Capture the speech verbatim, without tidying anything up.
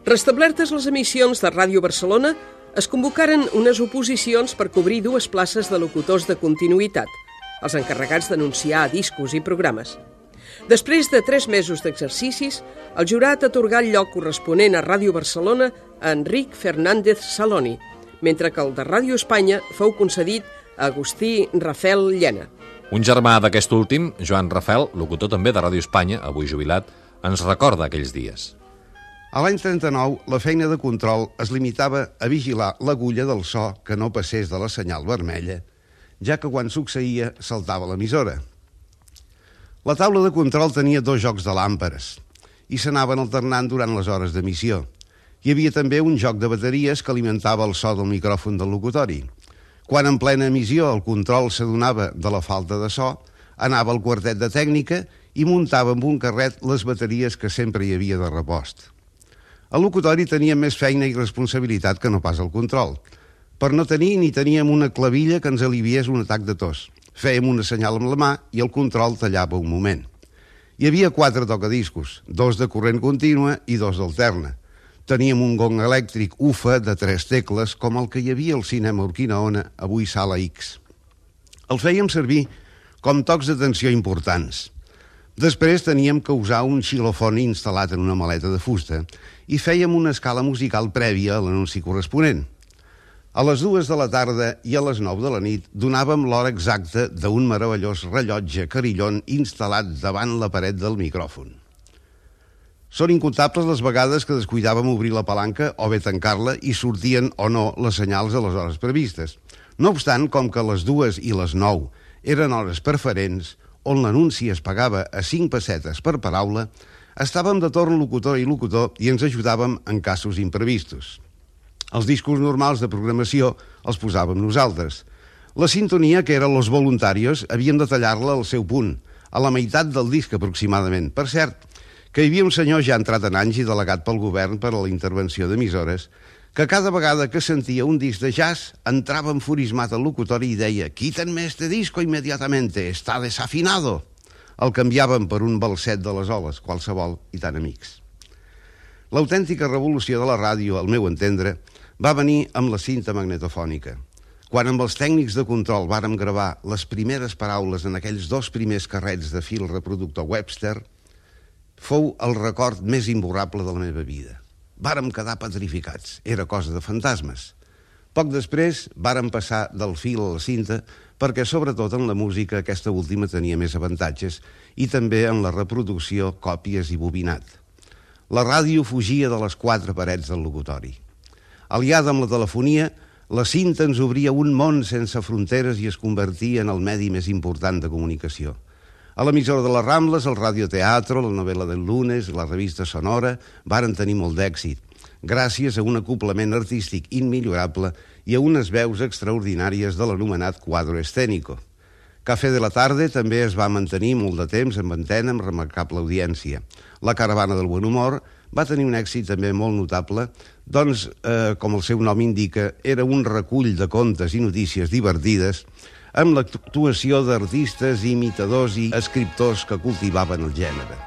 Restablertes les emissions de Ràdio Barcelona, es convocaren unes oposicions per cobrir dues places de locutors de continuïtat, els encarregats d'anunciar discos i programes. Després de tres mesos d'exercicis, el jurat atorgà el lloc corresponent a Ràdio Barcelona a Enric Fernández Saloni, mentre que el de Ràdio Espanya fou concedit a Agustí Rafel Llena. Un germà d'aquest últim, Joan Rafel, locutor també de Ràdio Espanya, avui jubilat, ens recorda aquells dies. A l'any trenta-nou, la feina de control es limitava a vigilar l'agulla del so que no passés de la senyal vermella, ja que quan succeïa saltava l'emissora. La taula de control tenia dos jocs de làmperes i s'anaven alternant durant les hores d'emissió. Hi havia també un joc de bateries que alimentava el so del micròfon del locutori. Quan en plena emissió el control s'adonava de la falta de so, anava al quartet de tècnica i muntava amb un carret les bateries que sempre hi havia de repost. El locutori tenia més feina i responsabilitat que no pas el control. Per no tenir ni teníem una clavilla que ens aliviés un atac de tos. Fèiem una senyal amb la mà i el control tallava un moment. Hi havia quatre tocadiscos, dos de corrent contínua i dos d'alterna. Teníem un gong elèctric U F A de tres tecles, com el que hi havia al cinema Urquinaona, avui Sala X. El fèiem servir com tocs d'atenció importants. Després teníem que usar un xilofoni instal·lat en una maleta de fusta i fèiem una escala musical prèvia a l'anunci corresponent. A les dues de la tarda i a les nou de la nit donàvem l'hora exacta d'un meravellós rellotge carillon instal·lat davant la paret del micròfon. Són incomptables les vegades que descuidàvem obrir la palanca o bé tancar-la i sortien o no les senyals a les hores previstes. No obstant, com que les dues i les nou eren hores preferents, on l'anunci es pagava a cinc pessetes per paraula, estàvem de torn locutor i locutor i ens ajudàvem en casos imprevistos. Els discos normals de programació els posàvem nosaltres. La sintonia, que era Los Voluntarios, havíem de tallar-la al seu punt, a la meitat del disc aproximadament. Per cert, que hi havia un senyor ja entrat en anys i delegat pel govern per a la intervenció d'emissores, que cada vegada que sentia un disc de jazz entrava enfurismat al locutori i deia «Quítenme este disco inmediatamente, está desafinado». El canviàvem per un balset de les oles, qualsevol i tan amics. L'autèntica revolució de la ràdio, al meu entendre, va venir amb la cinta magnetofònica. Quan amb els tècnics de control vàrem gravar les primeres paraules en aquells dos primers carrets de fil reproductor Webster, fou el record més imborrable de la meva vida. Vàrem quedar petrificats, era cosa de fantasmes. Poc després vàrem passar del fil a la cinta perquè sobretot en la música aquesta última tenia més avantatges i també en la reproducció, còpies i bobinat. La ràdio fugia de les quatre parets del locutori. Aliada amb la telefonia, la cinta ens obria un món sense fronteres i es convertia en el medi més important de comunicació. A l'emissora de les Rambles, el radioteatro, la novel·la del lunes, la revista Sonora, varen tenir molt d'èxit, gràcies a un acoplament artístic immillorable i a unes veus extraordinàries de l'anomenat quadro escénico. Café de la Tarde també es va mantenir molt de temps en antena amb remarcable audiència. La Caravana del Buen Humor va tenir un èxit també molt notable, doncs, eh, com el seu nom indica, era un recull de contes i notícies divertides amb l'actuació d'artistes, imitadors i escriptors que cultivaven el gènere.